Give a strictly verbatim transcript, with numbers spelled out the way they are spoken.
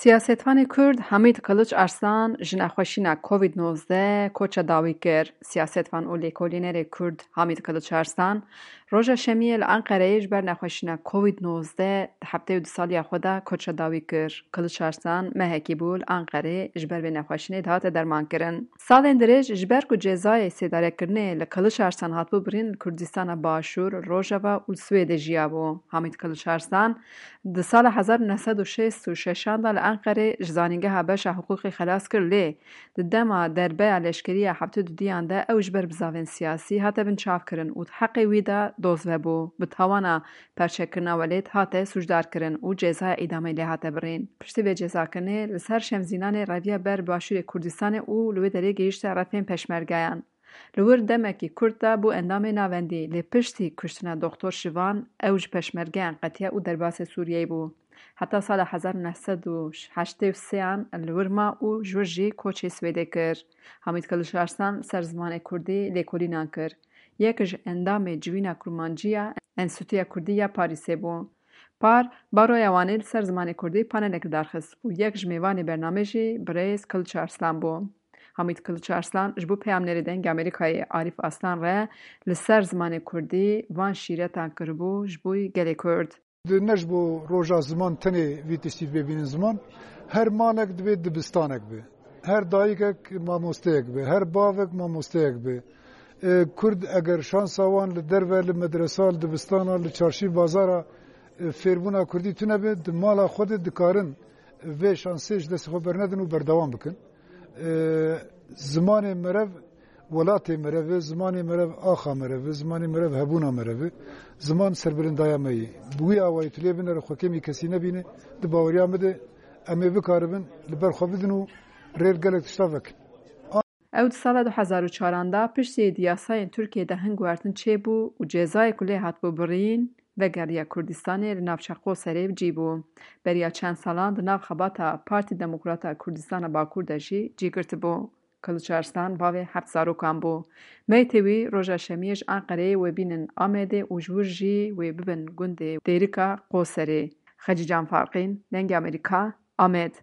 Siyasetvanê Kurd Hamîd Kiliç Arslan ji nexweşîna Covid nozdeh koça dawî kir. Siyasetvan û lêkolînerê Kurd Hamîd Kiliç Arslan roja Şemiyê li Enqereyê ji ber nexweşîna Covid nozdeh di heftê û du saliya xwe de koça dawî kir. Kiliç Arslan mehekî bû li Enqerê ji ber vê nexweşînê dihate dermankirin. Salên dirêj ji ber ku cezayê sêdarekirinê li Kiliç Arslan hatibû birîn, li Kurdistana Başûr, Rojava û li Swêdê jiyabû. Hamîd Kiliç Arslan di sala hezar û neh sed û şêst û şeşan de li Enqerê ji zanîngeha beşa hiqûqê xelas kir, lê di dema derbeya leşkerî ya heftê û duyan de ew ji ber bizavên siyasî hate binçavkirin û di heqê wî de doz vebû. Bi tawana perçekirina welêt hate sûcdarkirin û cezaya îdamê lê hate birîn. Piştî vê cezakirinê li ser Şemzînanê reviya ber Başûrê Kurdistanê û li wê derê gihîşte refên peşmergeyan. Li wir demekî kurt de bû endamê navendî, lê piştî kuştina Doktor Şivan ew ji peşmergeyan qetiya û derbasê Sûriyeyê bû. Heta sala hezar û neh sed û heştê û sêyan li wir ma û ji wir jî koçê Swêdê kir. Hamîd Kiliç Arslan li ser zimanê kurdî lêkolînan kir. Yek ji endamê Civîna Kurmancî ya Enstîtuya Kurdî ya Parîsê bû. Par, Baroya Wanê li ser zimanê kurdî panelek li dar xist û yek ji mêvanê bernamê jî birêz Kiliç Arslan bû. Hamîd Kiliç Arslan ji bo peyamnêrê Dengê Amerîkayê Arîf Aslan re li ser zimanê kurdî van şîretan kiribû ji bo gelê Kurd. Di ne ji bo roja ziman tenê vî tiştî bibînin ziman. Her malek divê dibistanek be. Her dayikek mamosteyek be. Her bavek mamosteyek be. E, Kurd eger şansa wan li derve, li medresa, li dibistana, li çarşî bazara, e, fêrbûna kurdî tune be, di mala xwe de dikarin vê şansê ji destê xwe bernedin û berdewam bikin. E, zimanê merev welatê merev e, zimanê merev axa merev e, zimanê merev hebûna merev e. Ziman serbilindaya me ye. Bi wî awayî tu lê binere xwe kêmî kesî nebîne, di baweriya min de em ê bikaribin li ber xwe bidin û rê li gelek tişta vekin. Ew di sala du hezar û çaran de piştî di yasayên Tirkiyê de hin guhertin çêbû û cezayê ku lê hatibû birîn, vegeriya Kurdistanê li navça Qoserê bi cî bû. Beriya çend salan di nav xebata Partî Demokrata Kurdistana Bakur de jî cî girtibû. Kiliç Arslan bavê heft zarokan bû. Meytê wî roja Şemiyê ji Enqereyê wê bînin Amedê û ji wir jî wê bibin gundê Dêrika Qoserê. Xecîcan Farqîn, Dengê Amerîka, Amed.